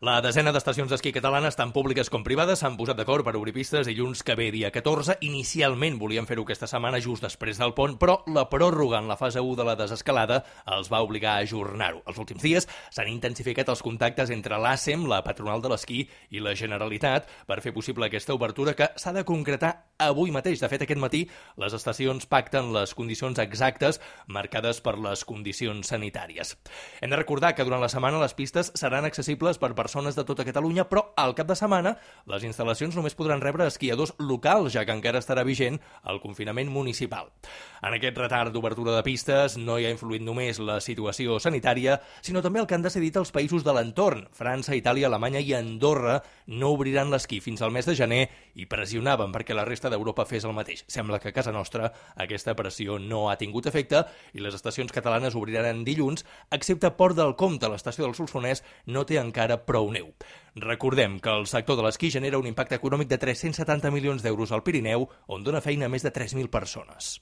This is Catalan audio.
La desena d'estacions d'esquí catalanes, tant públiques com privades, s'han posat d'acord per obrir pistes dilluns que ve, dia 14. Inicialment volien fer-ho aquesta setmana, just després del pont, però la pròrroga en la fase 1 de la desescalada els va obligar a ajornar-ho. Els últims dies s'han intensificat els contactes entre l'ASEM, la patronal de l'esquí, i la Generalitat per fer possible aquesta obertura que s'ha de concretar avui mateix. De fet, aquest matí les estacions pacten les condicions exactes marcades per les condicions sanitàries. Hem de recordar que durant la setmana les pistes seran accessibles per persones de tota Catalunya, però al cap de setmana les instal·lacions només podran rebre esquiadors locals, ja que encara estarà vigent el confinament municipal. En aquest retard d'obertura de pistes no hi ha influït només la situació sanitària, sinó també el que han decidit els països de l'entorn. França, Itàlia, Alemanya i Andorra no obriran l'esquí fins al mes de gener i pressionaven perquè la resta d'Europa fes el mateix. Sembla que a casa nostra aquesta pressió no ha tingut efecte i les estacions catalanes obriran dilluns, excepte Port del Comte, l'estació del Solsonès, no té encara prou neu. Recordem que el sector de l'esquí genera un impacte econòmic de 370 milions d'euros al Pirineu, on dona feina a més de 3.000 persones.